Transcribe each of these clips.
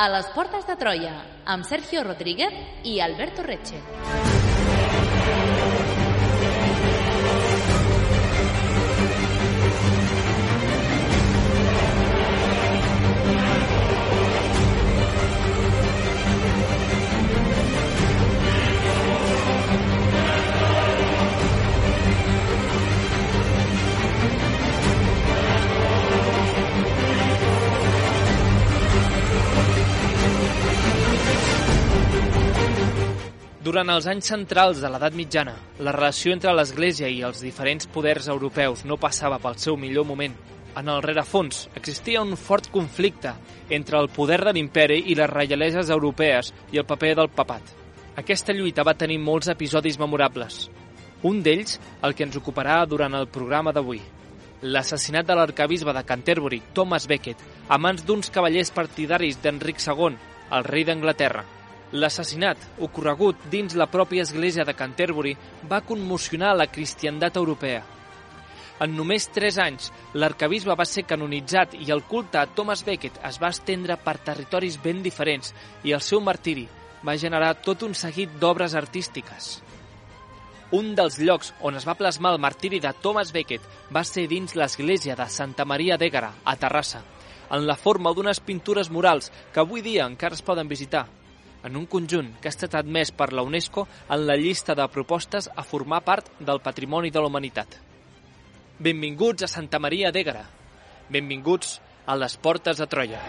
A les portes de Troia, amb Sergio Rodríguez i Alberto Reche. Durant els anys centrals de l'edat mitjana, la relació entre l'Església i els diferents poders europeus no passava pel seu millor moment. En el rerefons existia un fort conflicte entre el poder de l'imperi i les reialeses europees i el paper del papat. Aquesta lluita va tenir molts episodis memorables. Un d'ells, el que ens ocuparà durant el programa d'avui. L'assassinat de l'arquebisbe de Canterbury, Thomas Becket, a mans d'uns cavallers partidaris d'Enric II, el rei d'Anglaterra. L'assassinat, ocorregut dins la pròpia església de Canterbury, va commocionar la cristiandat europea. En només 3 anys, l'arquebisbe va ser canonitzat i el culte a Thomas Becket es va estendre per territoris ben diferents i el seu martiri va generar tot un seguit d'obres artístiques. Un dels llocs on es va plasmar el martiri de Thomas Becket va ser dins l'església de Santa Maria d'Ègara, a Terrassa, en la forma d'unes pintures murals que avui dia encara es poden visitar, en un conjunt que ha estat admès per la UNESCO en la llista de propostes a formar part del Patrimoni de la Humanitat. Benvinguts a Santa Maria d'Ègara. Benvinguts a les portes de Troia.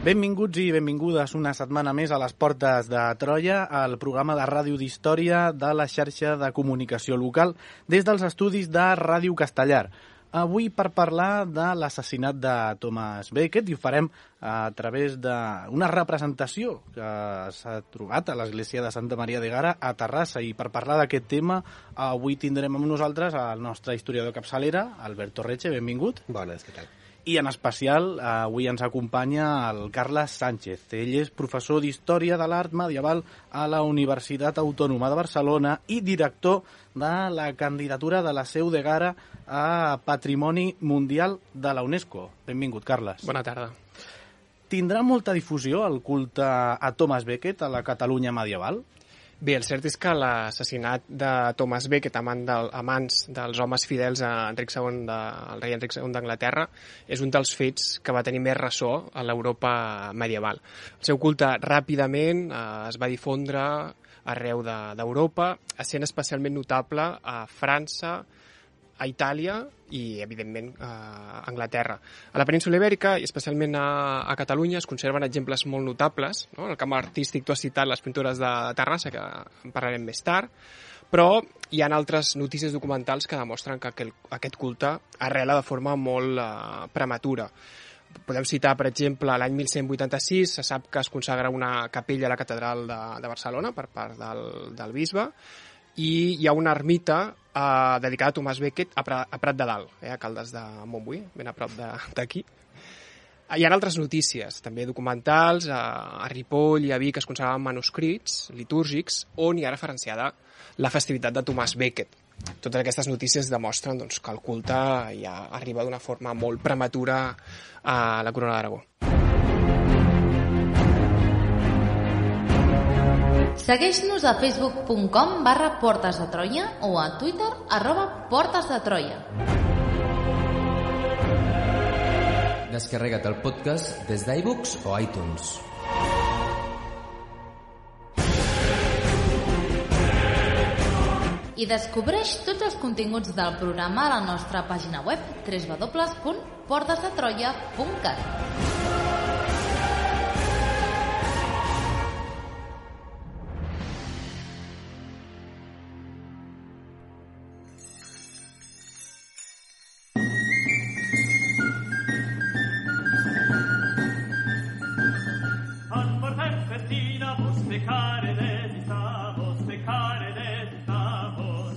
Benvinguts i benvingudes una setmana més a les portes de Troia, al programa de ràdio d'història de la xarxa de comunicació local des dels estudis de Ràdio Castellar. Avui per parlar de l'assassinat de Thomas Becket i ho farem a través d'una representació que s'ha trobat a l'església de Santa Maria d'Ègara a Terrassa. I per parlar d'aquest tema avui tindrem amb nosaltres el nostre historiador capçalera, Alberto Reche, benvingut. Bones, què tal? I en especial avui ens acompanya el Carles Sánchez. Ell és professor d'Història de l'Art Medieval a la Universitat Autònoma de Barcelona i director de la candidatura de la Seu d'Ègara a Patrimoni Mundial de la UNESCO. Benvingut, Carles. Bona tarda. Tindrà molta difusió el culte a Thomas Becket a la Catalunya medieval? Bé, el cert és que l'assassinat de Thomas Becket a mans dels homes fidels a Enric II, el rei Enric II d'Anglaterra, és un dels fets que va tenir més ressò a l'Europa medieval. El seu culte ràpidament es va difondre arreu d'Europa, essent especialment notable a França, a Itàlia i, evidentment, a Anglaterra. A la península Ibèrica, i especialment a Catalunya, es conserven exemples molt notables. No? En el camp artístic tu has citat les pintures de Terrassa, que en parlarem més tard, però hi ha altres notícies documentals que demostren que aquest culte arrela de forma molt prematura. Podem citar, per exemple, l'any 1186 se sap que es consagra una capella a la catedral de Barcelona per part del bisbe, i hi ha una ermita dedicada a Thomas Becket a Prat de Dalt, a Caldes de Montbui, ben a prop d'aquí. Hi ha altres notícies, també documentals, a Ripoll i a Vic es conservaven manuscrits litúrgics on hi ha referenciada la festivitat de Thomas Becket. Totes aquestes notícies demostren doncs, que el culte ja arriba d'una forma molt prematura a la Corona d'Aragó. Segueix-nos a facebook.com/Portes de Troia o a Twitter @PortesDeTroia. Descarrega't el podcast des d'iVoox o iTunes. I descobreix tots els continguts del programa a la nostra pàgina web www.portesdetroia.cat. Vos pecare desitavos,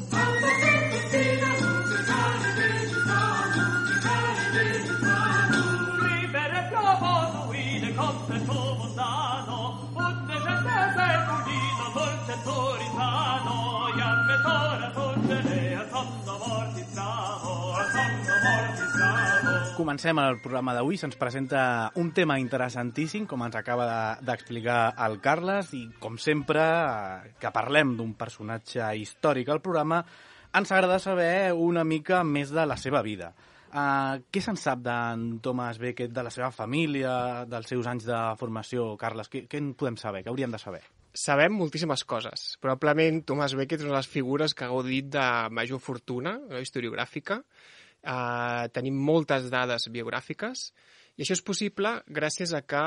Comencem el programa d'avui. Se'ns presenta un tema interessantíssim, com ens acaba d'explicar el Carles, i com sempre, que parlem d'un personatge històric al programa, ens agrada saber una mica més de la seva vida. Què se'n sap d'en Thomas Becket, de la seva família, dels seus anys de formació, Carles? Què en podem saber? Què hauríem de saber? Sabem moltíssimes coses. Probablement Thomas Becket és una de les figures que ha gaudit de major fortuna historiogràfica. Tenim moltes dades biogràfiques i això és possible gràcies a que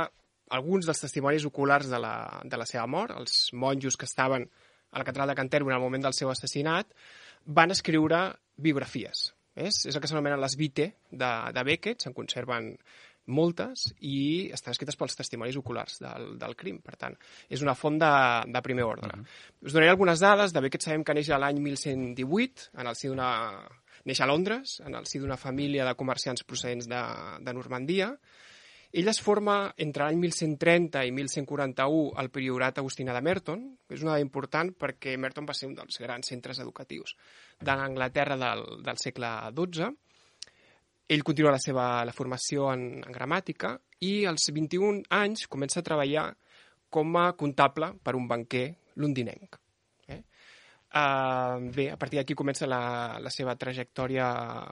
alguns dels testimonis oculars de la seva mort, els monjos que estaven a la catedral de Canterbury al moment del seu assassinat, van escriure biografies. És el que s'anomenen les vitae de Becket, se'n conserven moltes i estan escrites pels testimonis oculars del crim. Per tant, és una font de primer ordre. Us donaré algunes dades. De Becket sabem que neix l'any 1118, neix a Londres, en el si d'una família de comerciants procedents de Normandia. Ell es forma entre l'any 1130 i 1141 al priorat agustina de Merton, que és una dada important perquè Merton va ser un dels grans centres educatius de l'Anglaterra del segle XII. Ell continua la formació en gramàtica i als 21 anys comença a treballar com a comptable per un banquer londinenc. Bé, a partir d'aquí comença la seva trajectòria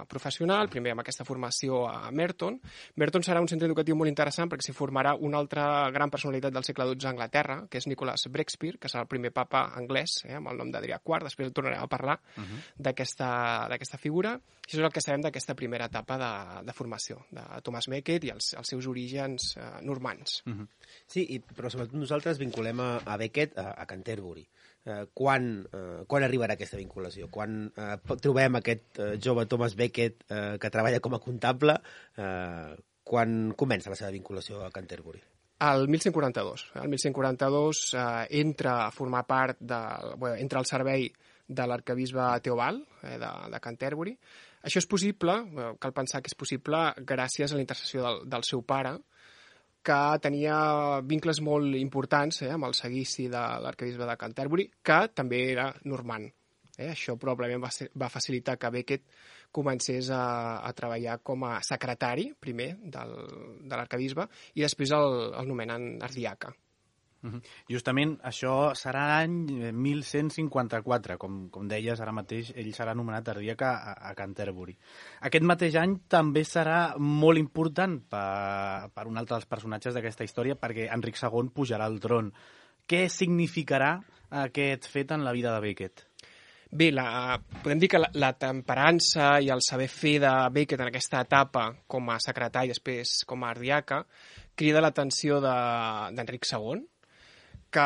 professional, primer amb aquesta formació a Merton. Merton serà un centre educatiu molt interessant perquè s'hi formarà una altra gran personalitat del segle XII a Anglaterra, que és Nicholas Breakspeare, que serà el primer papa anglès, amb el nom d'Adrià IV. Després tornarem a parlar d'aquesta figura. Això és el que sabem d'aquesta primera etapa de formació de Thomas Becket i els seus orígens normands. Sí, però sobretot nosaltres vinculem a Becket a Canterbury. Quan arribarà aquesta vinculació? Quan trobem aquest jove Thomas Becket que treballa com a comptable? Quan comença la seva vinculació a Canterbury? El 1142. El 1142 entra a formar part entra al servei de l'arquebisbe Teobald de Canterbury. Això és possible, cal pensar que és possible gràcies a la intercessió del seu pare, que tenia vincles molt importants amb el seguici de l'arquebisbe de Canterbury, que també era normand. Això probablement va facilitar que Becket comencés a treballar com a secretari, primer, de l'arquebisbe, i després el nomenen ardiaca. Justament això serà l'any 1154, com deies ara mateix, ell serà nomenat ardiaca a Canterbury. Aquest mateix any també serà molt important per un altre dels personatges d'aquesta història, perquè Enric II pujarà al tron. Què significarà aquest fet en la vida de Becket? Bé, podem dir que la temperança i el saber fer de Becket en aquesta etapa com a secretari i després com a ardiaca crida l'atenció d'Enric II, que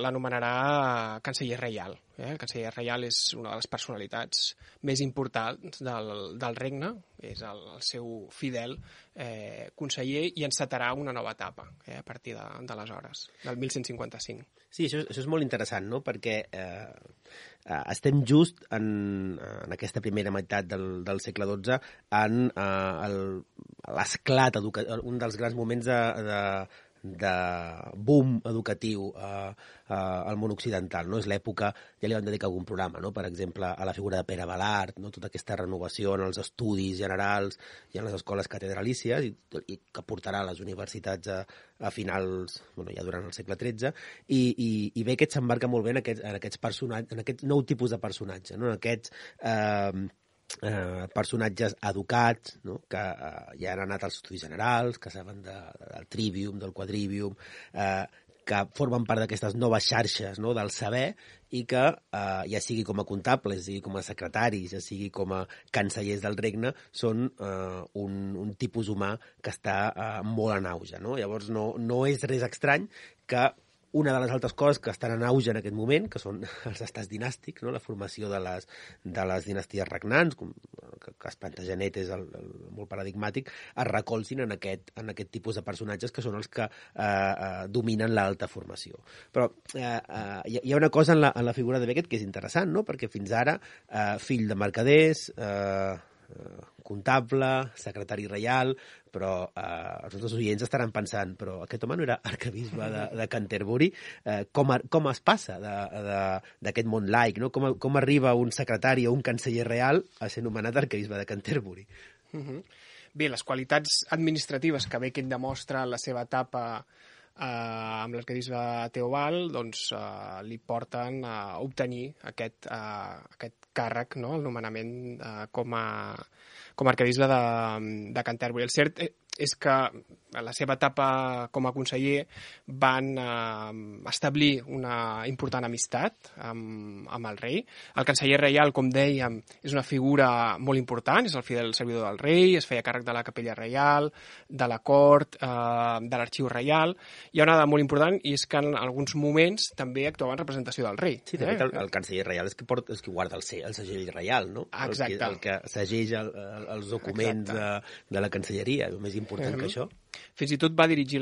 l'anomenarà canceller reial. El canceller reial és una de les personalitats més importants del regne, és el seu fidel conseller i encetarà una nova etapa a partir d'aleshores, del 1155. Sí, això és molt interessant, no? Perquè estem just en aquesta primera meitat del segle XII en l'esclat educatiu, un dels grans moments de boom educatiu al món occidental, no? És l'època, ja li vam dedicar algun programa, no? Per exemple, a la figura de Pere Balart, no? Tota aquesta renovació en els estudis generals i en les escoles catedralícies i que portarà a les universitats a finals, ja durant el segle XIII, i Becket s'embarca molt bé en aquests personatges, en aquest nou tipus de personatge, no? En aquests personatges educats, no? Que ja han anat als estudis generals, que saben del trivium, del quadrivium, que formen part d'aquestes noves xarxes, no? Del saber i que ja sigui com a comptables, ja sigui com a secretaris, ja sigui com a cancellers del regne, són un tipus humà que està molt en auge, no? Llavors no és res estrany que una de les altres coses que estan en auge en aquest moment, que són els estats dinàstics, no? La formació de les dinasties regnants, que Plantagenet és molt paradigmàtic, es recolzin en aquest tipus de personatges que són els que dominen l'alta formació. Però hi ha una cosa en la figura de Becket que és interessant, no? Perquè fins ara, fill de mercaders, comptable, secretari reial, però els nostres oients estaran pensant, però aquest home no era arquebisbe de Canterbury? Com es passa d'aquest món laic, no? Com arriba un secretari o un canceller real a ser nomenat arquebisbe de Canterbury? Bé, les qualitats administratives que Becket demostra en la seva etapa amb l'arquebisbe Teobald doncs, li porten a obtenir aquest càrrec, no? El nomenament com a arquebisbe de Canterbury. El cert és que a la seva etapa com a conseller van establir una important amistat amb el rei. El canceller reial, com dèiem, és una figura molt important, és el fidel servidor del rei, es feia càrrec de la capella reial, de la cort, de l'arxiu reial. Hi ha una dada molt important i és que en alguns moments també actuava en representació del rei. Sí, de fet, el canceller reial és qui guarda el segell reial, no? Exacte. El que segeix els documents de la cancelleria, és més important que això. Fins i tot va dirigir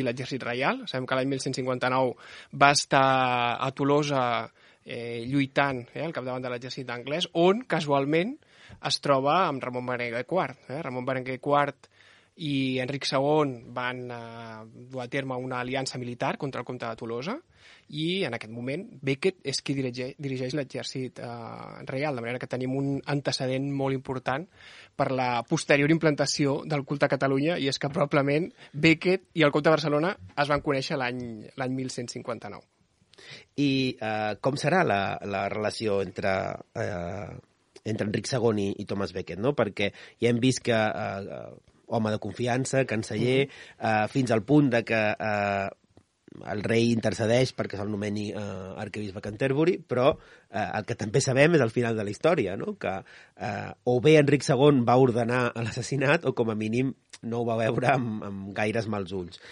l'exèrcit reial. Sabem que l'any 1159 va estar a Tolosa lluitant al capdavant de l'exèrcit anglès, on casualment es troba amb Ramon Berenguer IV. Ramon Berenguer IV i Enric II van dur a terme una aliança militar contra el comte de Tolosa i en aquest moment Becket és qui dirigeix l'exèrcit reial, de manera que tenim un antecedent molt important per la posterior implantació del culte a Catalunya, i és que probablement Becket i el comte de Barcelona es van conèixer l'any 1159. I com serà la relació entre Enric II i Thomas Becket, no? Perquè ja hem vist que home de confiança, canceller, fins al punt de que el rei intercedeix perquè se'l nomeni arquebisbe Canterbury, però el que també sabem és el final de la història, no? Que o bé Enric II va ordenar l'assassinat o com a mínim no ho va veure amb gaires mals ulls.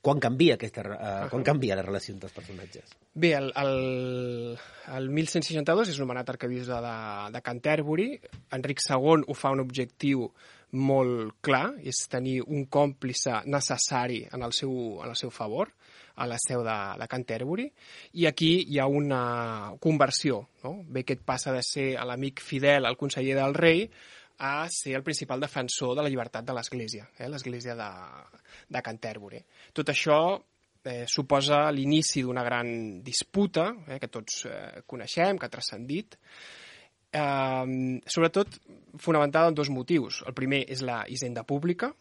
Quan canvia la relació entre els personatges? Bé, el 1162 és nomenat arquebisbe de Canterbury. Enric II ho fa un objectiu molt clar, és tenir un còmplice necessari en el seu favor, a la seu de Canterbury, i aquí hi ha una conversió, no? Becket passa de ser l'amic fidel, el conseller del rei, a ser el principal defensor de la llibertat de l'Església, l'Església de Canterbury. Tot això suposa l'inici d'una gran disputa que tots coneixem, que ha transcendit, sobretot fonamentada en dos motius. El primer és la hisenda pública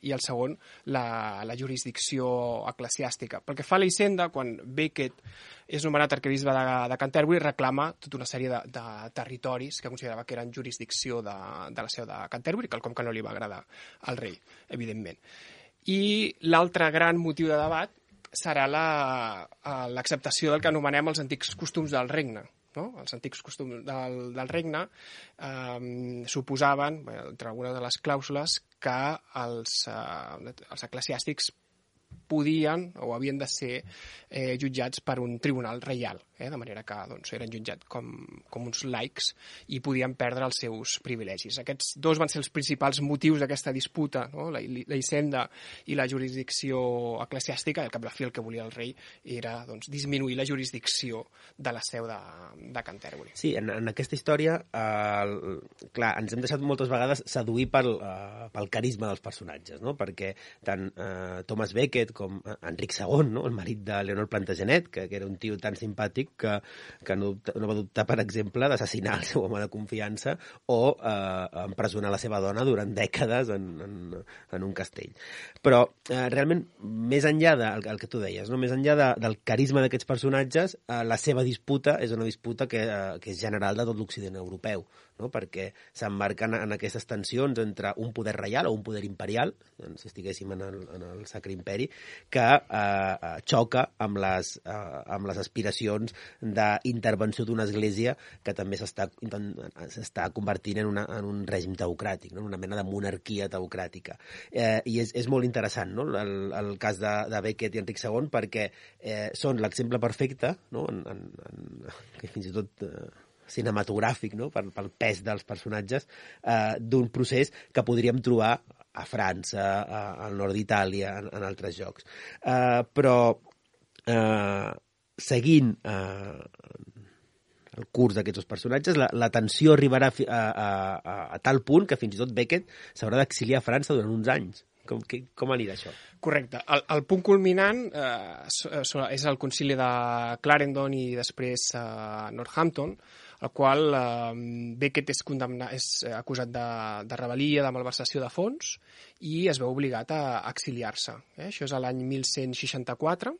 i el segon la jurisdicció eclesiàstica. Pel que fa a la hisenda, quan Becket és nomenat arquebisbe de Canterbury, reclama tota una sèrie de territoris que considerava que eren jurisdicció de la seu de Canterbury, quelcom que no li va agradar al rei, evidentment. I l'altre gran motiu de debat serà l'acceptació del que anomenem els antics costums del regne. No? Els antics costums del regne suposaven, entre algunes de les clàusules, que els eclesiàstics podien o havien de ser jutjats per un tribunal reial, de manera que eren jutjats com uns laics i podien perdre els seus privilegis. Aquests dos van ser els principals motius d'aquesta disputa, no? La hisenda i la jurisdicció eclesiàstica. Al cap i a la fi el que volia el rei era disminuir la jurisdicció de la seu de Canterbury. Sí, en aquesta història, clar, ens hem deixat moltes vegades seduir pel carisma dels personatges, no? Perquè tant Thomas Becket com Enric II, no? El marit de Leonor Plantagenet, que era un tio tan simpàtic que no va dubtar, per exemple, d'assassinar el seu home de confiança o empresonar la seva dona durant dècades en un castell. Però realment, més enllà del que tu deies, no? Més enllà del carisma d'aquests personatges, la seva disputa és una disputa que és general de tot l'Occident europeu, no? Perquè s'emmarquen en aquestes tensions entre un poder reial o un poder imperial, si estiguéssim en el Sacre Imperi, que xoca amb les aspiracions d'intervenció d'una església que també s'està convertint en un règim teocràtic, no? Una mena de monarquia teocràtica. I és molt interessant, no? El cas de Becket i Enric II, perquè són l'exemple perfecte, no? Que fins i tot cinematogràfic, no? Pel pes dels personatges, d'un procés que podríem trobar a França, al nord d'Itàlia, en altres llocs. Però seguint el curs d'aquests dos personatges, la tensió arribarà a tal punt que fins i tot Beckett s'haurà d'exiliar a França durant uns anys. Com anirà això? Correcte. El punt culminant és el concili de Clarendon i després Northampton, el qual Beckett és acusat de rebel·lia, de malversació de fons, i es veu obligat a exiliar-se. Això és l'any 1164.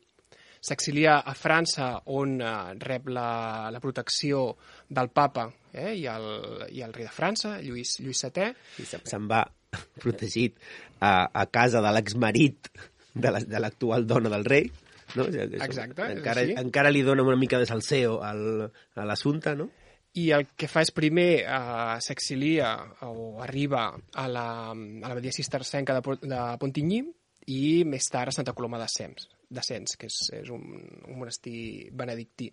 S'exilia a França, on rep la protecció del papa i el rei de França, Lluís VII. I se'n va protegit a casa de l'exmarit de l'actual dona del rei. No? Exacte. Encara li dona una mica de salseo a l'assumpte, no? I el que fa és primer s'exilia o arriba a l'abadia cistercenca de Pontigny i més tard a Santa Coloma de Sens, que és un monestir benedictí.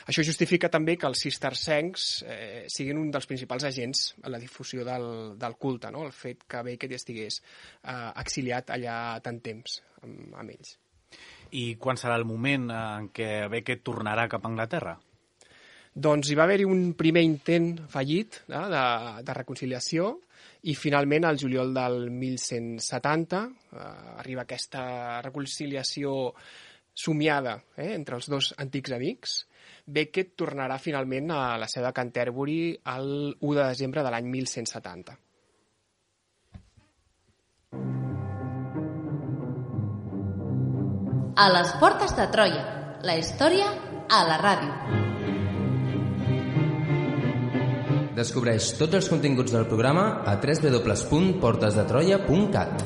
Això justifica també que els cistercencs siguin un dels principals agents en la difusió del culte, no? El fet que Beckett estigués exiliat allà tant temps amb ells. I quan serà el moment en què Beckett tornarà cap a Anglaterra? Doncs hi va haver-hi un primer intent fallit de reconciliació, i finalment, al juliol del 1170, arriba aquesta reconciliació somiada entre els dos antics amics. Beckett tornarà finalment a la seu de Canterbury el 1 de desembre de l'any 1170. A les portes de Troia, la història a la ràdio. Descobreix tots els continguts del programa a www.portesdetroia.cat.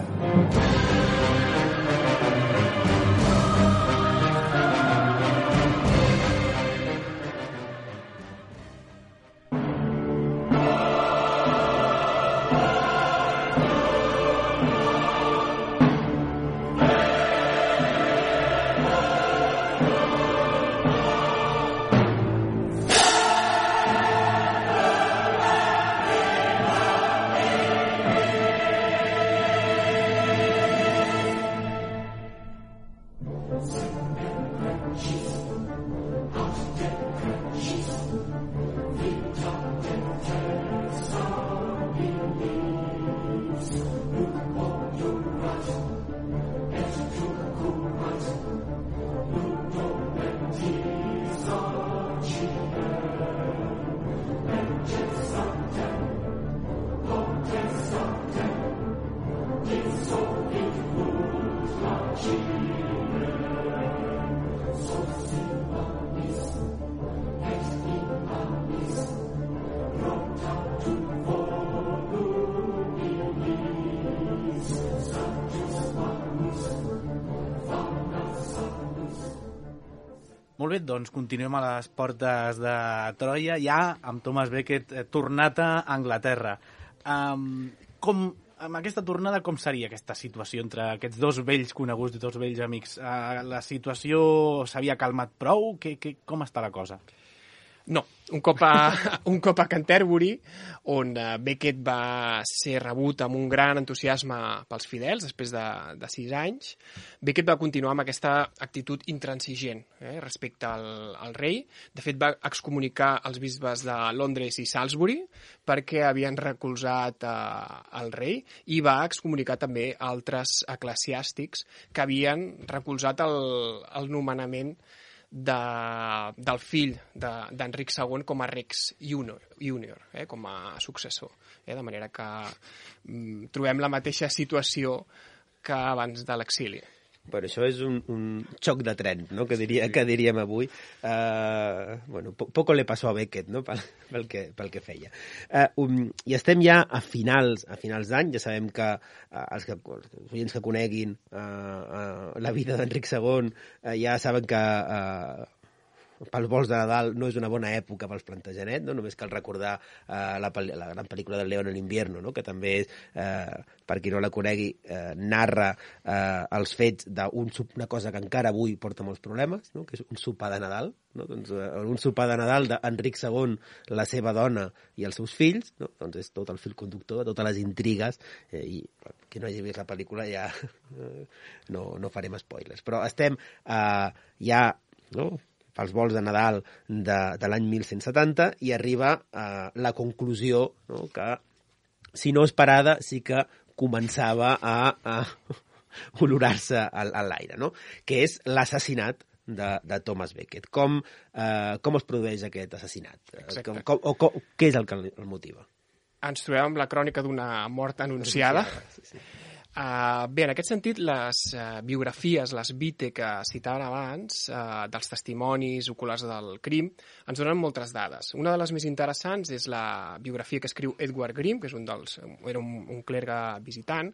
Molt bé, doncs continuem a les portes de Troia, ja amb Thomas Beckett tornat a Anglaterra. Amb aquesta tornada, com seria aquesta situació entre aquests dos vells coneguts, dos vells amics? La situació s'havia calmat prou? Com està la cosa? No, un cop a Canterbury, on Beckett va ser rebut amb un gran entusiasme pels fidels després de 6 anys, Beckett va continuar amb aquesta actitud intransigent respecte al rei. De fet, va excomunicar els bisbes de Londres i Salisbury perquè havien recolzat el rei, i va excomunicar també altres eclesiàstics que havien recolzat el nomenament del fill d'Enric II com a Rex Junior, com a successor. De manera que trobem la mateixa situació que abans de l'exili. Però això és un xoc de tren, no? que diríem avui. Poco le passó a Beckett, no? pel que feia. I estem ja a finals d'any. Ja sabem que els oients que coneguin la vida d'Enric II ja saben que pels vols de Nadal no és una bona època pels Plantagenet, no? Només cal recordar la gran pel·lícula del León en invierno, no? Que també és, per qui no la conegui, narra els fets d'una cosa que encara avui porta molts problemes, no? Que és un sopar de Nadal, no? Doncs, un sopar de Nadal d'Enric II, la seva dona i els seus fills, no? Doncs és tot el fil conductor de totes les intrigues, i qui no hagi vist la pel·lícula ja no farem spoilers, però estem ja, no? pels vols de Nadal de l'any 1170 i arriba a la conclusió, no?, que, si no esperada, sí que començava a olorar-se a l'aire, no?, que és l'assassinat de Thomas Becket. Com es produeix aquest assassinat? Què és el que el motiva? Ens trobem amb la crònica d'una mort anunciada. Sí. Bé, en aquest sentit, les biografies, les vite que citaven abans, dels testimonis oculars del crim, ens donen moltes dades. Una de les més interessants és la biografia que escriu Edward Grimm, que és era un clergue visitant,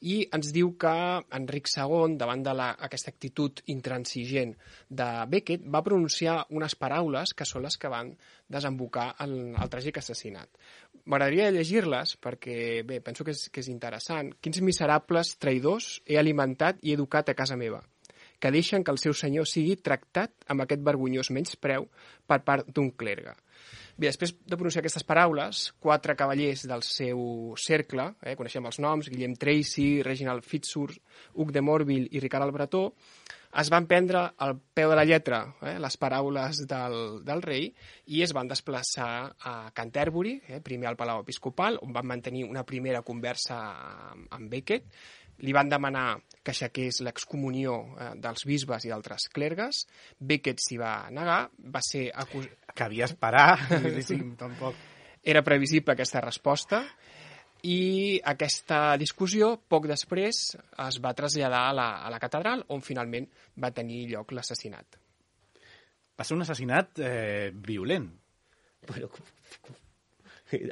i ens diu que Enric II, davant d'aquesta actitud intransigent de Becket, va pronunciar unes paraules que són les que van desembocar el tràgic assassinat. M'agradaria llegir-les perquè, bé, penso que és interessant. Quins miserables traïdors he alimentat i educat a casa meva, que deixen que el seu senyor sigui tractat amb aquest vergonyós menyspreu per part d'un clergue. Bé, després de pronunciar aquestes paraules, 4 cavallers del seu cercle, coneixem els noms, Guillem Tracy, Reginald Fitzurse, Hug de Morville i Ricard el Bretó, es van prendre al peu de la lletra les paraules del rei i es van desplaçar a Canterbury, primer al Palau Episcopal, on van mantenir una primera conversa amb Becket. Li van demanar que aixequés l'excomunió dels bisbes i d'altres clergues. Becket s'hi va negar, va ser acusat... Cabia esperar, tampoc. Era previsible aquesta resposta i aquesta discussió, poc després, es va traslladar a la catedral, on finalment va tenir lloc l'assassinat. Va ser un assassinat violent. Bueno,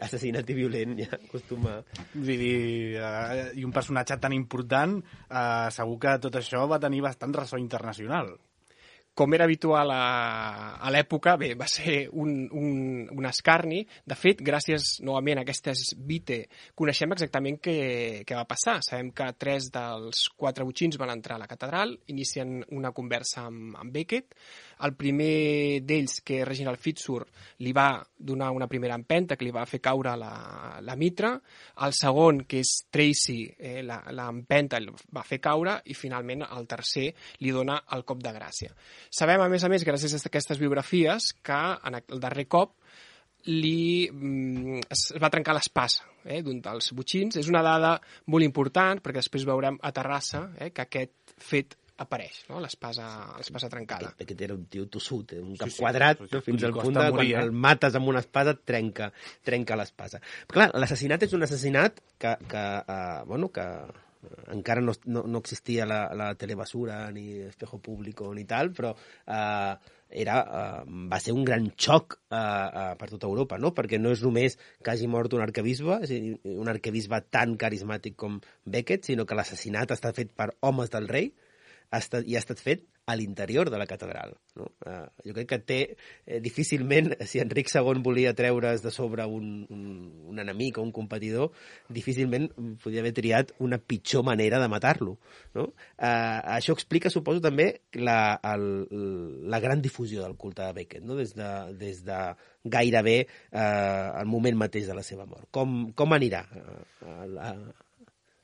assassinat i violent ja acostuma... I un personatge tan important, segur que tot això va tenir bastant ressò internacional. Com era habitual a l'època, bé, va ser un escarni. De fet, gràcies novament a aquestes vite, coneixem exactament què va passar. Sabem que 3 dels 4 botxins van entrar a la catedral, inicien una conversa amb Becket. El primer d'ells, que és Reginald Fitzurse, li va donar una primera empenta que li va fer caure la mitra. El segon, que és Tracy, l'empenta el va fer caure i finalment el tercer li dona el cop de gràcia. Sabem, a més, gràcies a aquestes biografies, que en el darrer cop es va trencar l'espasa d'un dels botxins. És una dada molt important, perquè després veurem a Terrassa que aquest fet apareix, no? L'espasa trencada. Aquest era un tio tossut, un cap quadrat, no? Fins al punt de quan el mates amb una espasa trenca l'espasa. Però clar, l'assassinat és un assassinat que encara no existia la telebasura ni espejo público ni tal, però va ser un gran xoc per tota Europa, no? Perquè no és només que hagi mort un arquebisbe, és a dir, un arquebisbe tan carismàtic com Becket, sinó que l'assassinat està fet per homes del rei i ha estat fet a l'interior de la catedral, no? Jo crec que difícilment, si Enric II volia treure's de sobre un enemic o un competidor, difícilment podia haver triat una pitjor manera de matar-lo, no? Això explica, suposo, també la gran difusió del culte de Becket, no? Des de gairebé el moment mateix de la seva mort. Com anirà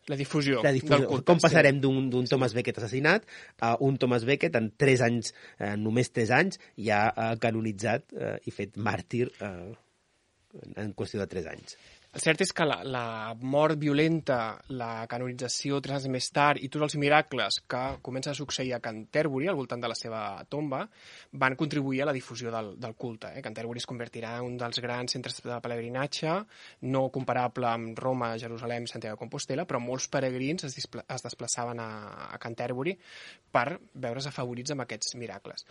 la difusió del culte? Com passarem d'un Thomas Becket assassinat a un Thomas Becket en 3 anys, només 3 anys, ja canonitzat i fet màrtir en qüestió de 3 anys? El cert és que la mort violenta, la canonització 3 anys més tard i tots els miracles que comencen a succeir a Canterbury, al voltant de la seva tomba, van contribuir a la difusió del culte. Canterbury es convertirà en un dels grans centres de pelegrinatge, no comparable amb Roma, Jerusalem i Santiago de Compostela, però molts peregrins es desplaçaven a Canterbury per veure's afavorits amb aquests miracles.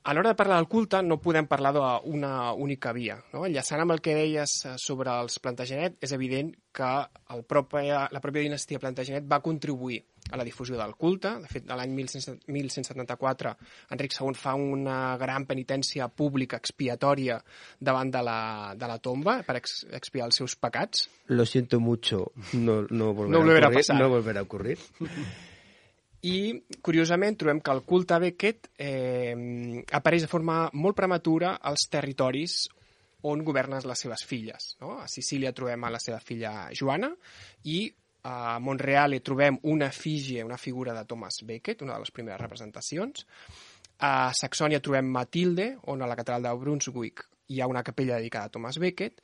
A l'hora de parlar del culte no podem parlar d'una única via, no? Enllaçant amb el que deies sobre els Plantagenet, és evident que la pròpia dinastia Plantagenet va contribuir a la difusió del culte. De fet, l'any 1174 Enric II fa una gran penitència pública expiatòria davant de la tomba per expiar els seus pecats. Lo siento mucho, no volverá a ocurrir. I, curiosament, trobem que el culte a Becket apareix de forma molt prematura als territoris on governen les seves filles, no? A Sicília trobem a la seva filla Joana i a Monreale trobem una efígie, una figura de Thomas Becket, una de les primeres representacions. A Saxònia trobem Matilde, on a la catedral de Brunswick hi ha una capella dedicada a Thomas Becket,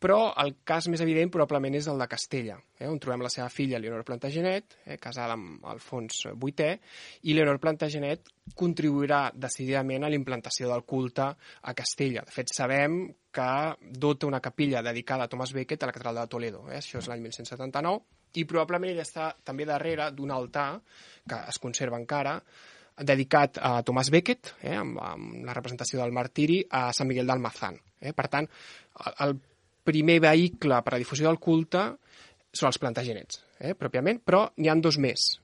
però el cas més evident probablement és el de Castella, on trobem la seva filla Leonor Plantagenet, casada amb Alfons VIII, i Leonor Plantagenet contribuirà decididament a la implantació del culte a Castella. De fet, sabem que dota una capella dedicada a Thomas Becket a la catedral de Toledo. Això és l'any 1179, i probablement ella està també darrere d'un altar que es conserva encara, dedicat a Thomas Becket, amb la representació del martiri a Sant Miguel d'Almazán. Per tant, el primer vehicle per a la difusió del culte són els Plantagenets, pròpiament, però n'hi ha dos més.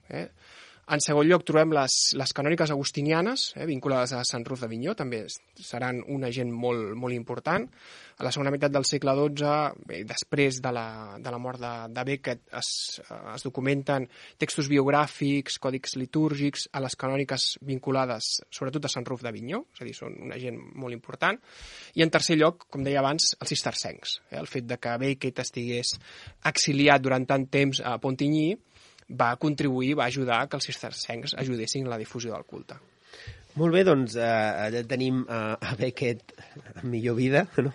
En segon lloc trobem les canòniques agustinianes, vinculades a Sant Ruf d'Avinyó, també seran un agent molt important. A la segona meitat del segle XII, després de la mort de Becket, es documenten textos biogràfics, còdics litúrgics, a les canòniques vinculades sobretot a Sant Ruf d'Avinyó, és a dir, són un agent molt important. I en tercer lloc, com deia abans, els cistercencs. El fet de que Becket estigués exiliat durant tant temps a Pontigny va contribuir, va ajudar que els cistercencs ajudessin en la difusió del culte. Molt bé, doncs allà tenim a Becket en millor vida, no?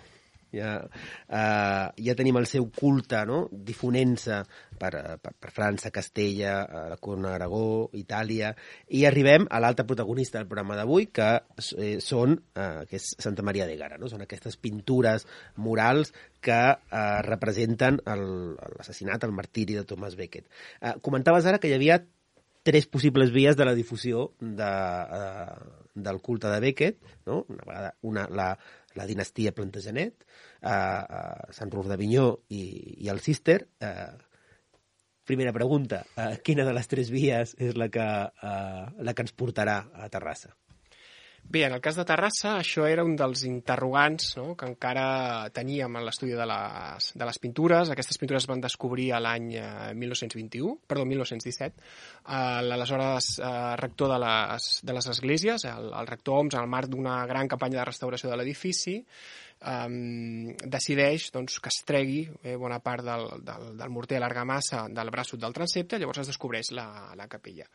Ja tenim el seu culte, no? Difonent-se per França, Castella, la Corona d'Aragó, Itàlia, i arribem a l'altre protagonista del programa d'avui, que és Santa Maria d'Ègara, no? Són aquestes pintures murals que representen l'assassinat, el martiri de Thomas Becket. Comentaves ara que hi havia 3 possibles vies de la difusió del culte de Becket, no? La dinastia Plantagenet, Sant Ruf d'Avinyó i el Cister. Primera pregunta, quina de les 3 vies és la que ens portarà a Terrassa? Bé, en el cas de Terrassa, això era un dels interrogants, no?, que encara teníem en l'estudi de les pintures. Aquestes pintures es van descobrir l'any 1917. L'aleshores rector de les esglésies, el rector Homs, en el marc d'una gran campanya de restauració de l'edifici, decideix que es tregui bona part del morter a l'argamassa del braços del transsepte, llavors es descobreix la capella.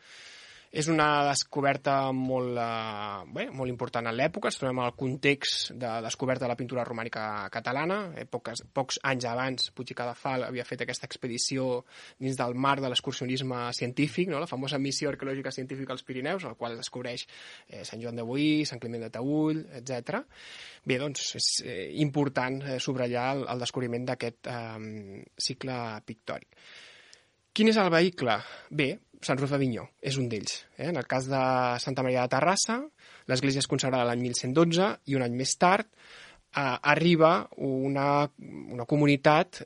És una descoberta molt important en l'època. Es trobem al context de descoberta de la pintura romànica catalana. Pocs anys abans, Puig i Cadafal havia fet aquesta expedició dins del marc de l'excursionisme científic, no? La famosa missió arqueològica científica als Pirineus, en la qual es descobreix Sant Joan de Boí, Sant Climent de Taüll, etc. Bé, doncs és important subratllar el descobriment d'aquest cicle pictòric. Quin és el vehicle? Bé, Sant Ruf d'Avinyó és un d'ells. En el cas de Santa Maria de Terrassa, l'església és consagrada l'any 1112 i un any més tard arriba una comunitat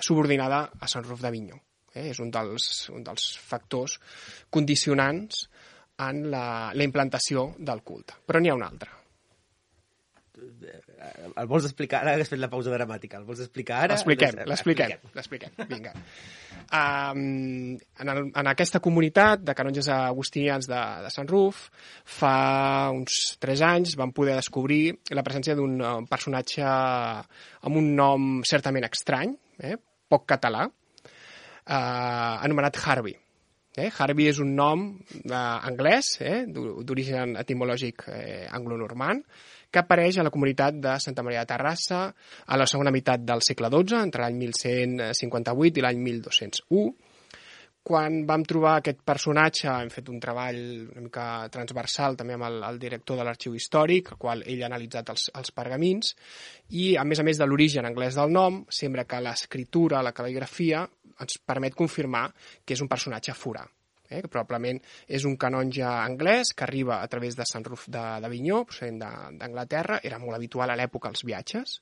subordinada a Sant Ruf d'Avinyó. És un dels factors condicionants en la implantació del culte. Però n'hi ha un altre. El vols explicar? Ara has fet la pausa dramàtica. El vols explicar ara? L'expliquem. Vinga. En aquesta comunitat de canonges agustinians de Sant Ruf, fa uns 3 anys van poder descobrir la presència d'un personatge amb un nom certament estrany, poc català, anomenat Harvey. Harvey és un nom anglès, d'origen etimològic anglonormand, que apareix a la comunitat de Santa Maria de Terrassa a la segona meitat del segle XII, entre l'any 1158 i l'any 1201. Quan vam trobar aquest personatge, hem fet un treball una mica transversal també amb el director de l'arxiu històric, al qual ell ha analitzat els pergamins, i a més de l'origen anglès del nom, sembla que l'escriptura, la cal·ligrafia, ens permet confirmar que és un personatge forà. Que probablement és un canonge anglès que arriba a través de Sant Ruf d'Avinyó, procedent d'Anglaterra, era molt habitual a l'època els viatges,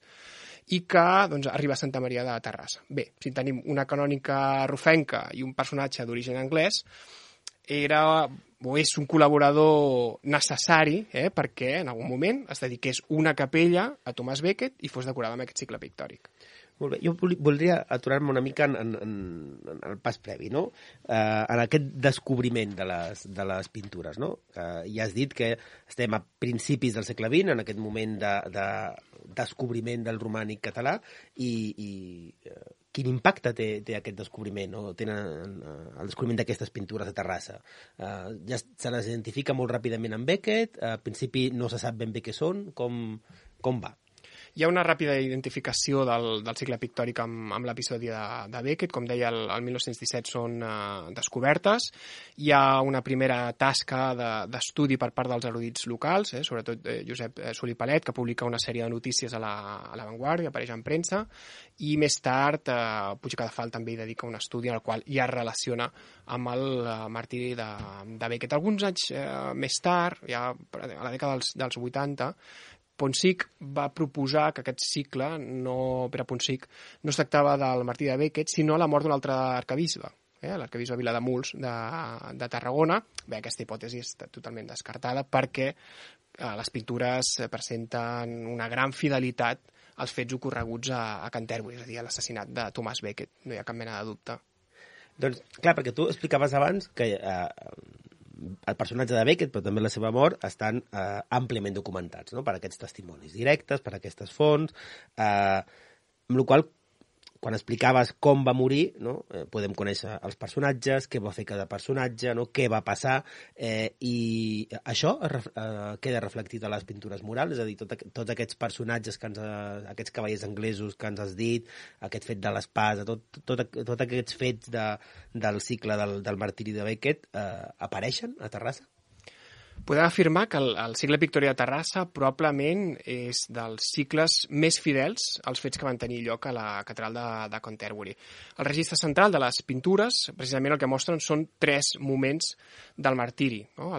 i que arriba a Santa Maria de Terrassa. Bé, si tenim una canònica rufenca i un personatge d'origen anglès, era o és un col·laborador necessari perquè en algun moment es dediqués una capella a Thomas Becket i fos decorada amb aquest cicle pictòric. Molt bé. Jo voldria aturar-me una mica en el pas previ, no? En aquest descobriment de les pintures, no? Ja has dit que estem a principis del segle XX, en aquest moment de descobriment del romànic català i quin impacte té aquest descobriment, no? Tenen el descobriment d'aquestes pintures a Terrassa. Ja se les identifica molt ràpidament amb Beckett, al principi no se sap ben bé què són, com va? Hi ha una ràpida identificació del cicle pictòric amb l'episodi de Beckett. Com deia, el 1917 són descobertes. Hi ha una primera tasca d'estudi per part dels erudits locals, sobretot Josep Solí Palet, que publica una sèrie de notícies a la Vanguardia, apareix en premsa, i més tard Puig i Cadafalch també hi dedica un estudi en el qual ja es relaciona amb el martiri de Beckett. Alguns anys més tard, ja a la dècada dels 80, Ponsich va proposar que aquest cicle, Pere Ponsich, no es tractava del martiri de Beckett, sinó la mort d'un altre arquebisbe, l'arquebisbe Vilademuls de Tarragona. Bé, aquesta hipòtesi està totalment descartada perquè les pintures presenten una gran fidelitat als fets ocorreguts a Canterbury, és a dir, a l'assassinat de Thomas Becket. No hi ha cap mena de dubte. Doncs, clar, perquè tu explicaves abans que el personatge de Beckett, però també la seva mort, estan àmpliament documentats, no? Per aquests testimonis directes, per aquestes fonts, amb la qual cosa, quan explicaves com va morir, no? Podem conèixer els personatges, què va fer cada personatge, no? Què va passar, i això queda reflectit a les pintures murals, és a dir, tots aquests personatges, aquests cavallers anglesos que ens has dit, aquest fet de l'espasa, tots aquests fets del cicle del martiri de Beckett apareixen a Terrassa? Podem afirmar que el cicle pictòric de Terrassa probablement és dels cicles més fidels als fets que van tenir lloc a la catedral de Canterbury. El registre central de les pintures, precisament el que mostren són 3 moments del martiri, no? A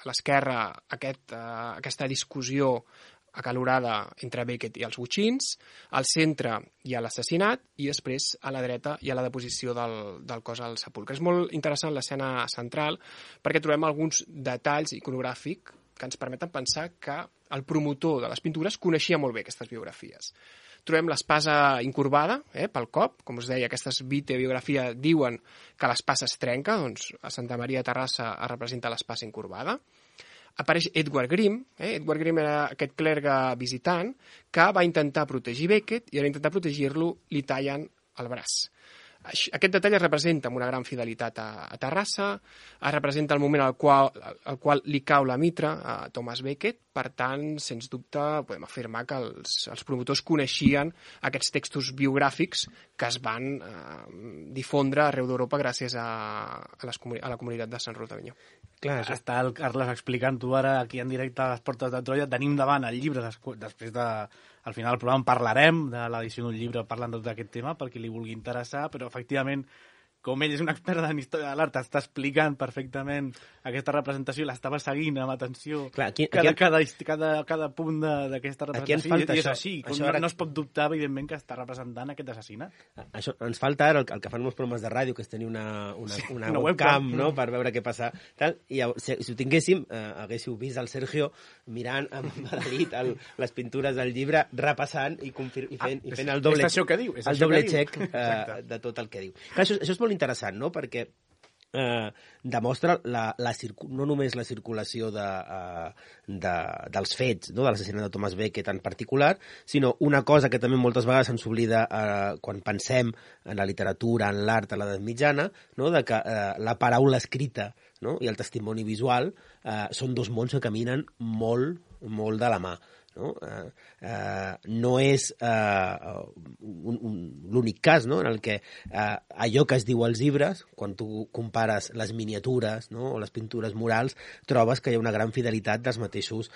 l'esquerra, aquesta discussió acalorada entre Beckett i els botxins, al centre hi ha l'assassinat i després a la dreta hi ha la deposició del cos al sepulcre. És molt interessant l'escena central perquè trobem alguns detalls iconogràfics que ens permeten pensar que el promotor de les pintures coneixia molt bé aquestes biografies. Trobem l'espasa incurvada pel cop, com us deia, aquestes bibliografia diuen que l'espasa es trenca, doncs a Santa Maria de Terrassa es representa l'espasa incurvada. Apareix Edward Grimm. Edward Grimm era aquest clergue visitant que va intentar protegir Beckett i a l'intentar protegir-lo li tallen el braç. Aquest detall es representa amb una gran fidelitat a Terrassa, es representa el moment al qual li cau la mitra a Thomas Beckett. Per tant, sens dubte, podem afirmar que els promotors coneixien aquests textos biogràfics que es van difondre arreu d'Europa gràcies a la comunitat de Sant Roc d'Avinyó. Clar, està el Carles explicant-ho ara aquí en directe a les Portes de Troia. Tenim davant el llibre, després al final del programa parlarem de l'edició d'un llibre parlant de tot aquest tema, per qui li vulgui interessar, però efectivament, com ell és un expert en història de l'art, està explicant perfectament aquesta representació i l'estava seguint amb atenció. Clar, cada punt d'aquesta representació, i és així. No es pot dubtar, evidentment, que està representant aquest assassinat. Això, ens falta ara el que fan molts programes de ràdio, que és tenir una webcam, no?, per veure què passa. I si ho tinguéssim, haguéssiu vist el Sergio mirant amb Madrid les pintures del llibre, repassant i fent el doble check de tot el que diu. Clar, això és molt interessant, no?, perquè demostra no només la circulació dels fets, no?, de l'assassinat de Thomas Beckett en particular, sinó una cosa que també moltes vegades ens oblida quan pensem en la literatura, en l'art a l'edat mitjana, no?, de que la paraula escrita, no?, i el testimoni visual són 2 mons que caminen molt, molt de la mà. No és l'únic cas, no?, en el que allò que es diu als llibres, quan tu compares les miniatures, no?, o les pintures murals, trobes que hi ha una gran fidelitat dels mateixos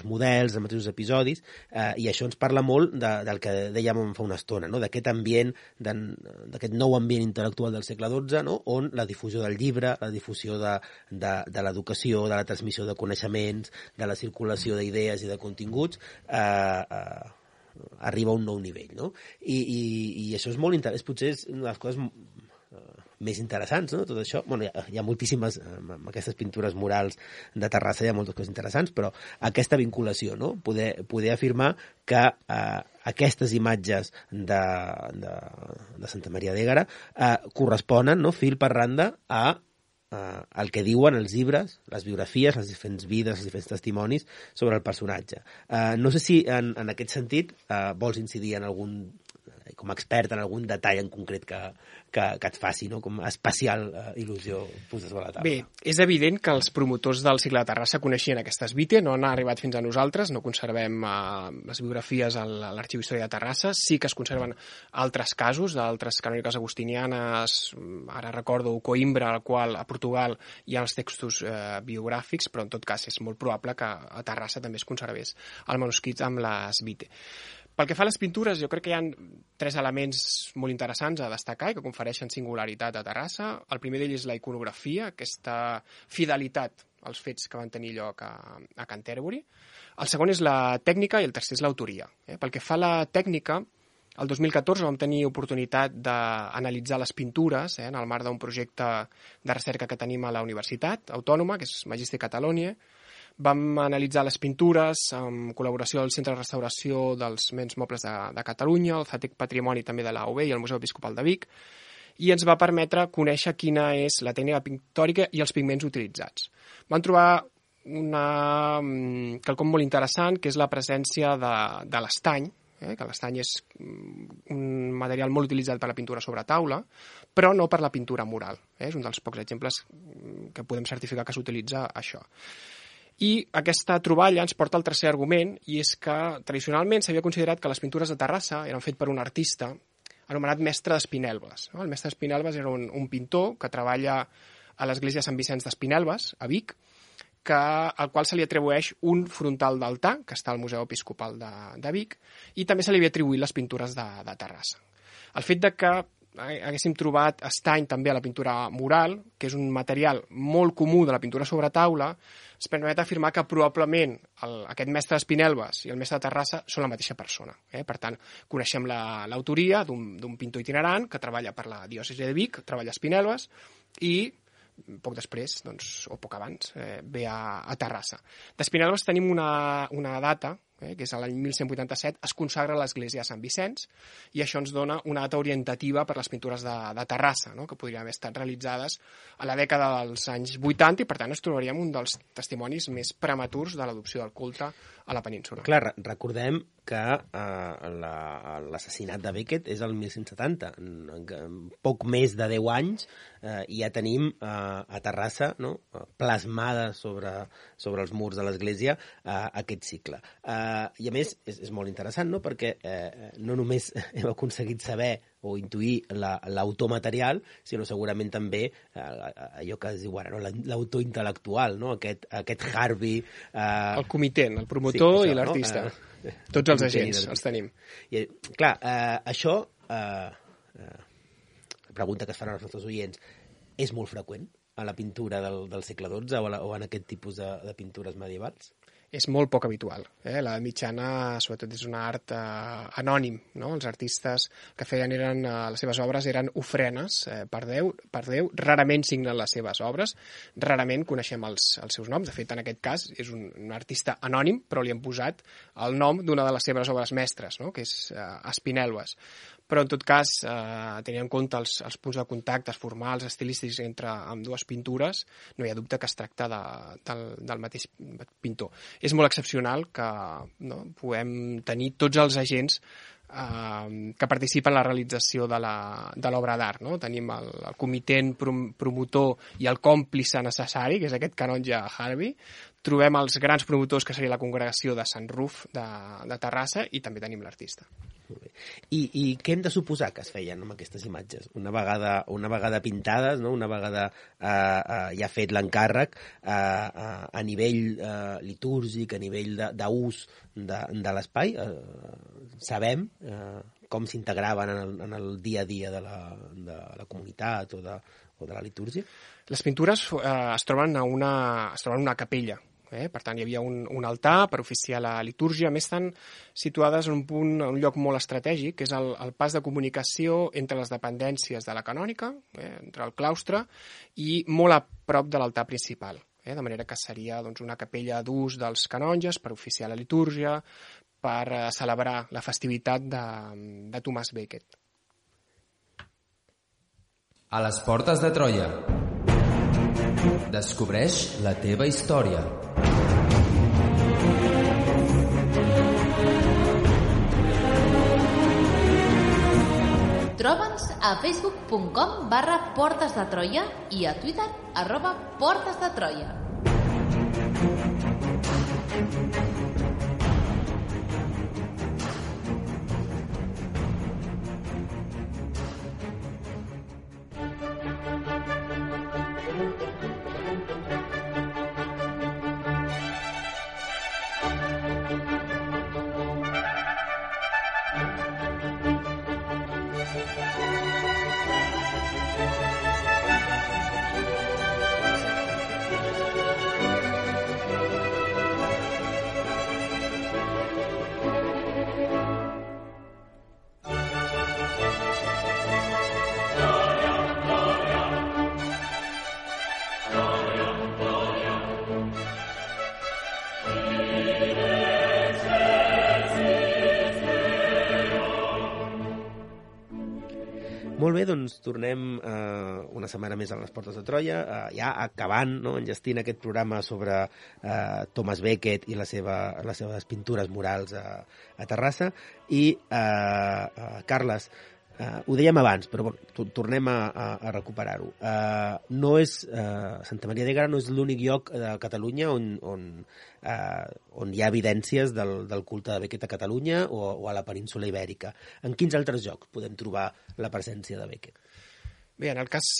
models, dels mateixos episodis, i això ens parla molt del que dèiem fa una estona, no?, d'aquest ambient, d'aquest nou ambient intel·lectual del segle XII, no?, on la difusió del llibre, la difusió de l'educació, de la transmissió de coneixements, de la circulació d'idees i de continguts arriba a un nou nivell, no? I això és molt interessant, potser és una de les coses més interessants, no?, tot això. Bueno, hi ha moltíssimes, amb aquestes pintures murals de Terrassa hi ha moltes coses interessants, però aquesta vinculació, no?, poder afirmar que aquestes imatges de Santa Maria d'Ègara corresponen, no?, fil per randa a el que diuen els llibres, les biografies, les diferents vides, els diferents testimonis sobre el personatge. No sé si en aquest sentit vols incidir en algun, com a expert, en algun detall en concret que et faci, no? Com especial il·lusió posar sobre la taula. Bé, és evident que els promotors del Cicle de Terrassa coneixien aquestes vite, no han arribat fins a nosaltres, no conservem les biografies a l'Arxiu Històric de Terrassa, sí que es conserven altres casos d'altres canòniques agustinianes, ara recordo Coimbra, al qual a Portugal hi ha els textos biogràfics, però en tot cas és molt probable que a Terrassa també es conservés el manuscrit amb les vite. Pel que fa a les pintures, jo crec que hi ha 3 elements molt interessants a destacar i que confereixen singularitat a Terrassa. El primer d'ells és la iconografia, aquesta fidelitat als fets que van tenir lloc a Canterbury. El segon és la tècnica i el tercer és l'autoria. Pel que fa a la tècnica, el 2014 vam tenir oportunitat d'analitzar les pintures en el marc d'un projecte de recerca que tenim a la Universitat Autònoma, que és Magister Catalonia. Vam analitzar les pintures en col·laboració del Centre de Restauració dels Béns Mobles de Catalunya, el CETEC Patrimoni també de l'AOB i el Museu Episcopal de Vic, i ens va permetre conèixer quina és la tècnica pictòrica i els pigments utilitzats. Vam trobar quelcom molt interessant, que és la presència de l'estany, que l'estany és un material molt utilitzat per la pintura sobre taula, però no per la pintura mural. És un dels pocs exemples que podem certificar que s'utilitza això. I aquesta troballa ens porta al tercer argument, i és que tradicionalment s'havia considerat que les pintures de Terrassa eren fet per un artista anomenat Mestre d'Espinelves. El Mestre d'Espinelves era un pintor que treballa a l'església Sant Vicenç d'Espinelves, a Vic, al qual se li atribueix un frontal d'altar, que està al Museu Episcopal de Vic, i també se li havia atribuït les pintures de Terrassa. El fet de que haguéssim trobat estany també a la pintura mural, que és un material molt comú de la pintura sobre taula, ens permet afirmar que probablement aquest mestre d'Espinelves i el mestre de Terrassa són la mateixa persona. Per tant, coneixem l'autoria d'un pintor itinerant que treballa per la diòcesi de Vic, treballa a Espinelves, i poc després, o poc abans, ve a Terrassa. D'Espinelves tenim una data, que és l'any 1187, es consagra l'església de Sant Vicenç, i això ens dona una data orientativa per les pintures de Terrassa, que podrien haver estat realitzades a la dècada dels anys 80, i per tant ens trobaríem un dels testimonis més prematurs de l'adopció del culte a la península. Clar, recordem que l'assassinat de Becket és el 1170. En poc més de 10 anys ja tenim a Terrassa, no, plasmada sobre els murs de l'església aquest cicle. I a més és molt interessant, no? Perquè no només hem aconseguit saber o intuir l'autor material, sinó segurament també allò que es diu ara, no? L'autor intel·lectual, no? Aquest Harvey... El comitent, el promotor, sí, això, i l'artista. No? Tots els agents els tenim. I, clar, això, pregunta que es fan als nostres oients, és molt freqüent a la pintura del segle XII o en aquest tipus de pintures medievals? És molt poc habitual. La mitjana, sobretot, és un art anònim. No? Els artistes que feien les seves obres eren ofrenes per Déu. Rarament signen les seves obres, rarament coneixem els seus noms. De fet, en aquest cas, és un artista anònim, però li han posat el nom d'una de les seves obres mestres, no? Que és Espinelves. Però, en tot cas, tenint en compte els punts de contacte formals, estilístics entre ambdues pintures, no hi ha dubte que es tracta del mateix pintor. És molt excepcional que puguem tenir tots els agents que participen en la realització de l'obra d'art. No? Tenim el comitent promotor i el còmplice necessari, que és aquest canonge Harvey. Trobem els grans promotors, que seria la congregació de Sant Ruf de Terrassa, i també tenim l'artista. I què hem de suposar que es feien amb aquestes imatges? Una vegada pintades, no? Una vegada ja fet l'encàrrec, a nivell litúrgic, a nivell d'ús de l'espai, sabem com s'integraven en el dia a dia de la comunitat o de la litúrgia? Les pintures es troben en una capella. Per tant, hi havia un altar per oficiar la litúrgia. A més, estan situades en un lloc molt estratègic, que és el pas de comunicació entre les dependències de la canònica, entre el claustre, i molt a prop de l'altar principal. De manera que seria una capella d'ús dels canonges per oficiar la litúrgia, per celebrar la festivitat de Tomàs Becket. A les portes de Troia. Descobreix la teva història. Troba'ns a facebook.com/Portes de Troia i a Twitter @Portes de Troia. Molt bé, doncs tornem una setmana més a les Portes de Troia, ja acabant, no, enllestint aquest programa sobre Thomas Becket i les seves pintures murals a Terrassa. I, Carles, ho dèiem abans, però bueno, tornem a recuperar-ho. No és, Santa Maria d'Éguara no és l'únic lloc de Catalunya on hi ha evidències del culte de Becket a Catalunya o a la península Ibèrica. En quins altres llocs podem trobar la presència de Becket? Bé, en el cas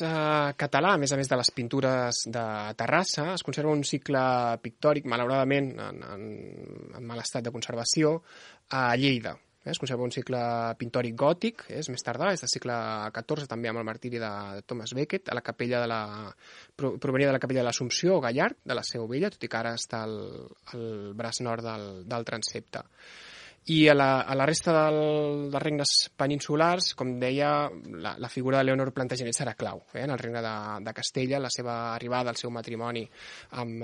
català, a més de les pintures de Terrassa, es conserva un cicle pictòric, malauradament en mal estat de conservació, a Lleida. Es conserva un cicle pintòric gòtic, és més tardà, és del segle XIV, també amb el martiri de Thomas Becket, a la capella provenia de la capella de l'Assumpció, Gallard, de la Seu Vella, tot i que ara està al braç nord del transsepte. I a la resta dels regnes peninsulars, com deia, la figura de Leonor Plantagenet serà clau. En el regne de Castella, la seva arribada, el seu matrimoni amb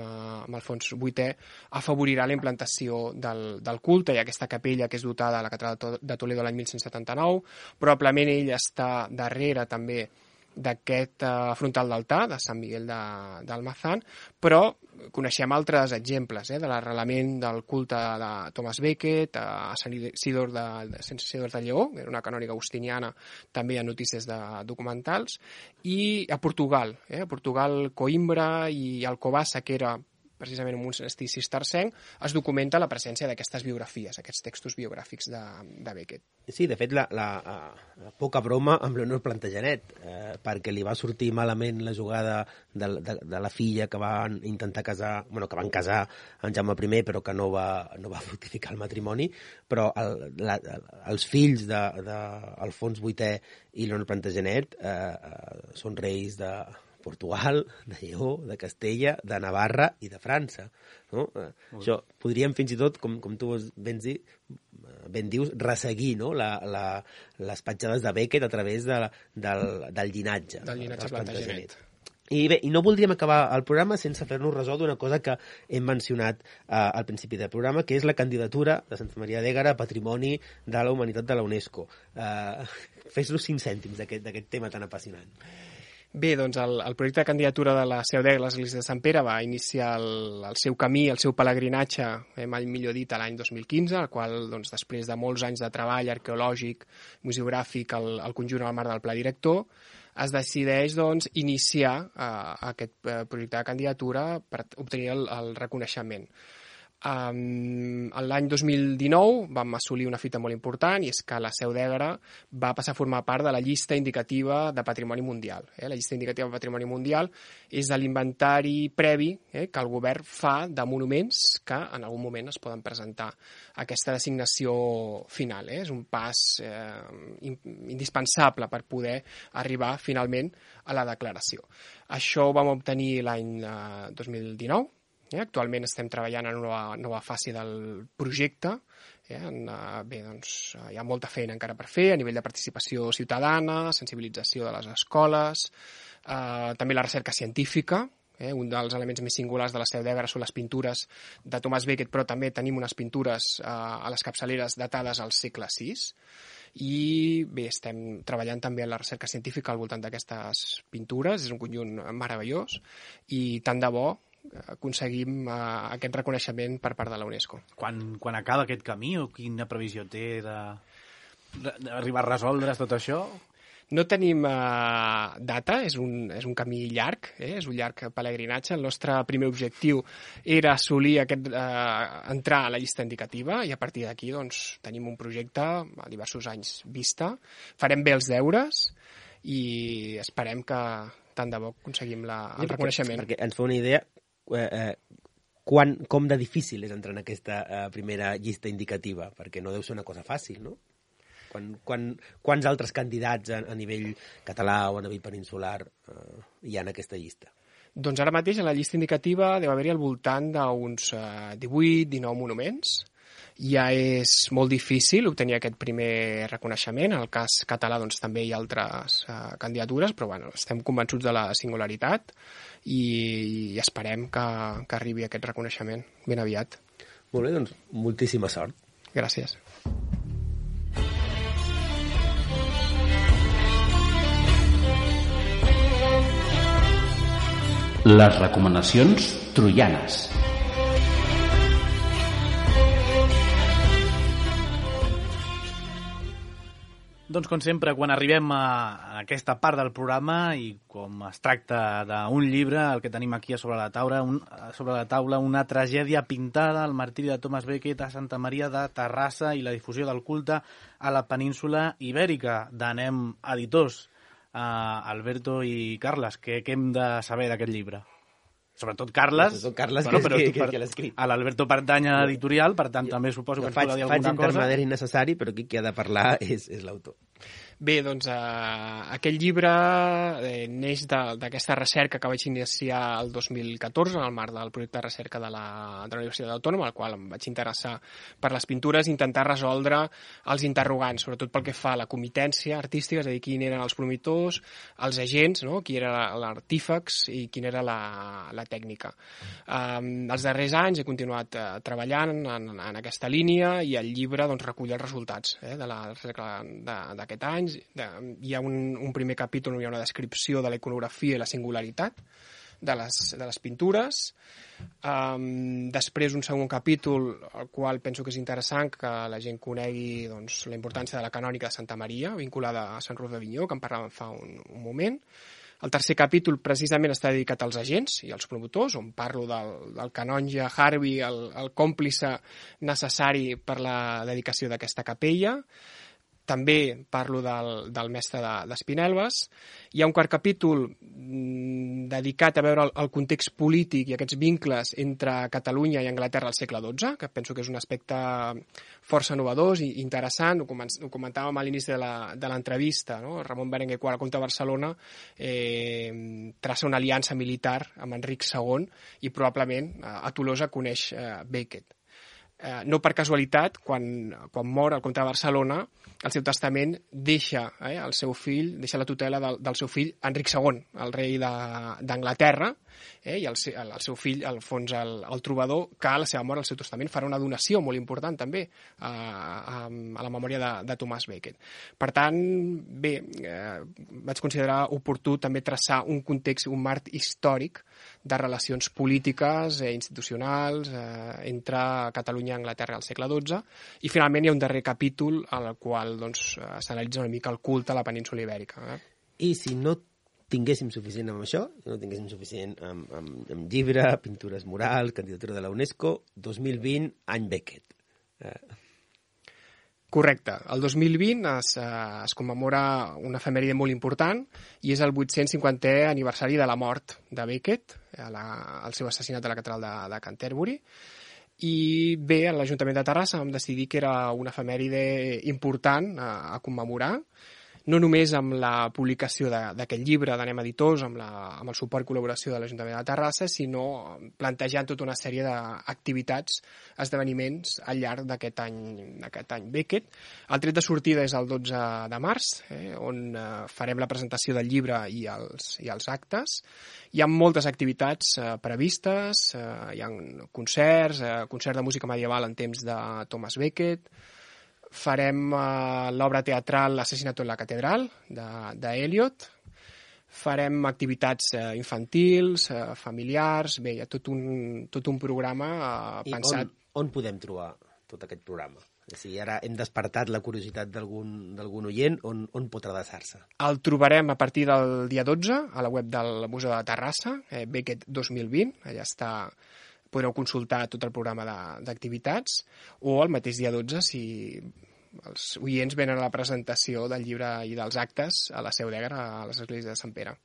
Alfons VIII, afavorirà la implantació del culte i aquesta capella que és dotada a la catedral de Toledo l'any 1179. Probablement ell està darrere també d'aquest frontal d'altar de Sant Miguel d'Almazán, però coneixem altres exemples de l'arrelament del culte de Thomas Becket a Sant Isidor de Lleó, era una canònica agustiniana, també hi ha notícies de documentals, i a Portugal, Coimbra i Alcobassa, que era precisament en un monestir cistercenc, es documenta la presència d'aquestes biografies, aquests textos biogràfics de Becket. Sí, de fet, la poca broma amb Leonor Plantagenet, perquè li va sortir malament la jugada de la filla que van intentar casar, que van casar en Jaume I, però que no va fructificar el matrimoni, però els fills d'Alfons VIII i Leonor Plantagenet són reis de Portugal, de Lleó, de Castella, de Navarra i de França. No? Això podríem fins i tot, com tu ben dius, resseguir les petjades de Becket a través del llinatge. Del llinatge Plantagenet. I bé, no voldríem acabar el programa sense fer-nos ressò d'una cosa que hem mencionat al principi del programa, que és la candidatura de Santa Maria d'Éguara a Patrimoni de la Humanitat de la UNESCO. Fes-nos 5 cèntims d'aquest tema tan apassionant. Bé, doncs el projecte de candidatura de la Seu d'Éguara a l'Església de Sant Pere va iniciar el seu camí, el seu pelegrinatge, mai millor dit, l'any 2015, el qual, doncs, després de molts anys de treball arqueològic, museogràfic, al conjunt al marc del Pla Director, es decideix, doncs, iniciar aquest projecte de candidatura per obtenir el reconeixement. L'any 2019 vam assolir una fita molt important, i és que la Seu d'Éguara va passar a formar part de la llista indicativa de Patrimoni Mundial. La llista indicativa de Patrimoni Mundial és l'inventari previ que el govern fa de monuments que en algun moment es poden presentar a aquesta designació final. És un pas indispensable per poder arribar finalment a la declaració. Això ho vam obtenir l'any 2019. Actualment estem treballant en una nova fase del projecte. Bé, doncs, hi ha molta feina encara per fer a nivell de participació ciutadana, sensibilització de les escoles, també la recerca científica. Un dels elements més singulars de la Seu d'Éguara són les pintures de Thomas Becket, però també tenim unes pintures a les capçaleres datades al segle VI. i bé, estem treballant també en la recerca científica al voltant d'aquestes pintures, és un conjunt meravellós i tant de bo aconseguim aquest reconeixement per part de la UNESCO. Quan acaba aquest camí o quina previsió té d'arribar a resoldre's tot això? No tenim data, és un camí llarg, és un llarg pelegrinatge. El nostre primer objectiu era assolir entrar a la llista indicativa i a partir d'aquí doncs, tenim un projecte a diversos anys vista. Farem bé els deures i esperem que tant de bo aconseguim el reconeixement. Perquè ens fa una idea com de difícil és entrar en aquesta primera llista indicativa, perquè no deu ser una cosa fàcil, no? Quants altres candidats a nivell català o a nivell peninsular hi ha en aquesta llista? Doncs ara mateix a la llista indicativa deu haver-hi al voltant d'uns 18-19 monuments. Ja és molt difícil obtenir aquest primer reconeixement. En el cas català doncs, també hi ha altres candidatures, però bueno, estem convençuts de la singularitat i esperem que arribi aquest reconeixement ben aviat. Molt bé, doncs moltíssima sort. Gràcies. Les recomanacions troianes. Doncs com sempre, quan arribem a aquesta part del programa i com es tracta d'un llibre, el que tenim aquí sobre la taula, una tragèdia pintada, el martiri de Thomas Becket a Santa Maria de Terrassa i la difusió del culte a la península Ibèrica, d'Anem Editors. Alberto i Carles, què hem de saber d'aquest llibre? Sobretot Carles, que l'ha escrit. A l'Alberto pertany a l'editorial, per tant també suposo que ens podrà dir alguna cosa. Faig intermediari necessari, però qui ha de parlar és l'autor. Bé, doncs aquest llibre neix d'aquesta recerca que vaig iniciar el 2014 en el marc del projecte de recerca de la Universitat Autònoma, al qual em vaig interessar per les pintures, intentar resoldre els interrogants, sobretot pel que fa a la comitència artística, és a dir, quin eren els promotors, els agents, no? Qui era l'artífex i quina era la tècnica. Els darrers anys he continuat treballant en aquesta línia i el llibre doncs, recull els resultats de la recerca d'aquest any. Hi ha un primer capítol on hi ha una descripció de la iconografia i la singularitat de les pintures. Després un segon capítol, el qual penso que és interessant que la gent conegui doncs, la importància de la canònica de Santa Maria, vinculada a Sant Roc d'Avinyó, que en parlàvem fa un moment. El tercer capítol precisament està dedicat als agents i als promotors, on parlo del canonge Harvey, el còmplice necessari per la dedicació d'aquesta capella. També parlo del mestre d'Espinelves. Hi ha un quart capítol dedicat a veure el context polític i aquests vincles entre Catalunya i Anglaterra al segle XII, que penso que és un aspecte força innovador i interessant. Ho comentàvem a l'inici de l'entrevista, no? Ramon Berenguer IV, el comte de Barcelona, traça una aliança militar amb Enric II i probablement a Tolosa coneix Becket. No per casualitat, quan mor el comte de Barcelona, el seu testament deixa el seu fill, deixa la tutela del seu fill Enric II, el rei d'Anglaterra, i el seu fill, Alfons el Trobador, que a la seva mort, al seu testament, farà una donació molt important també a la memòria de Thomas Becket. Per tant, bé, vaig considerar oportú també traçar un context, un marc històric de relacions polítiques i institucionals entre Catalunya i Anglaterra al segle XII, i finalment hi ha un darrer capítol al qual s'analitza una mica el culte a la península Ibèrica. I si no tinguéssim suficient amb això, no tinguéssim suficient amb llibre, pintures murals, candidatura de la UNESCO, 2020, any Becket. Correcte. El 2020 es commemora una efemèride molt important i és el 850è aniversari de la mort de Becket, el seu assassinat a la catedral de Canterbury. I bé, a l'Ajuntament de Terrassa vam decidir que era una efemèride important a commemorar, no només amb la publicació d'aquest llibre d'Anem Editors, amb el suport i col·laboració de l'Ajuntament de Terrassa, sinó plantejant tota una sèrie d'activitats, esdeveniments al llarg d'aquest any Becket. El tret de sortida és el 12 de març, on farem la presentació del llibre i els actes. Hi ha moltes activitats previstes, hi ha concerts, concert de música medieval en temps de Thomas Becket, farem l'obra teatral L'assassinato en la catedral, d'Eliot. Farem activitats infantils, familiars, bé, hi ha tot un programa pensat. I on podem trobar tot aquest programa? Si ara hem despertat la curiositat d'algun oient, on pot adreçar-se? El trobarem a partir del dia 12 a la web del Museu de Terrassa, Beckett 2020, allà està, podreu consultar tot el programa d'activitats, o el mateix dia 12 si els oients venen a la presentació del llibre i dels actes a la Seu d'Egar, a l'Església de Sant Pere.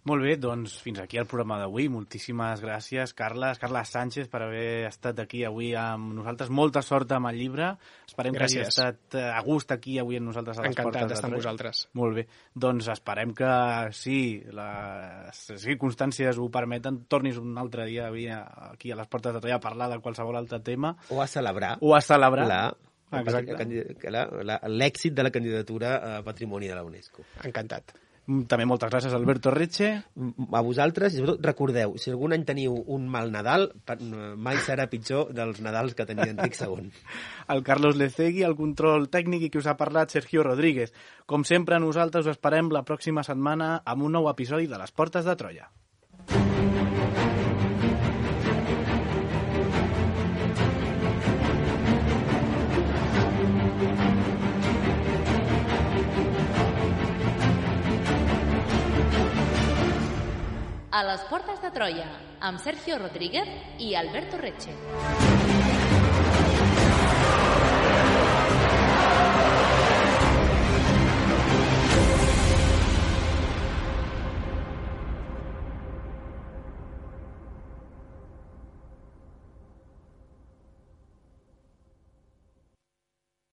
Molt bé, doncs fins aquí el programa d'avui. Moltíssimes gràcies, Carles Sánchez, per haver estat aquí avui amb nosaltres. Molta sort amb el llibre. Esperem que hagi estat a gust aquí avui amb nosaltres a les portes de Troia. Encantat d'estar amb vosaltres. Molt bé. Doncs esperem que, si les circumstàncies ho permeten, tornis un altre dia aquí a les portes de Troia a parlar de qualsevol altre tema. O a celebrar. L'èxit de la candidatura a Patrimoni de la UNESCO. Encantat. També moltes gràcies, Alberto Reche. A vosaltres, i sobretot recordeu, si algun any teniu un mal Nadal, mai serà pitjor dels Nadals que tenia Enric II. El Carlos Lecegui, el control tècnic, i qui us ha parlat, Sergio Rodríguez. Com sempre, nosaltres us esperem la pròxima setmana amb un nou episodi de Les Portes de Troia. A les portes de Troia, amb Sergio Rodríguez i Alberto Reche.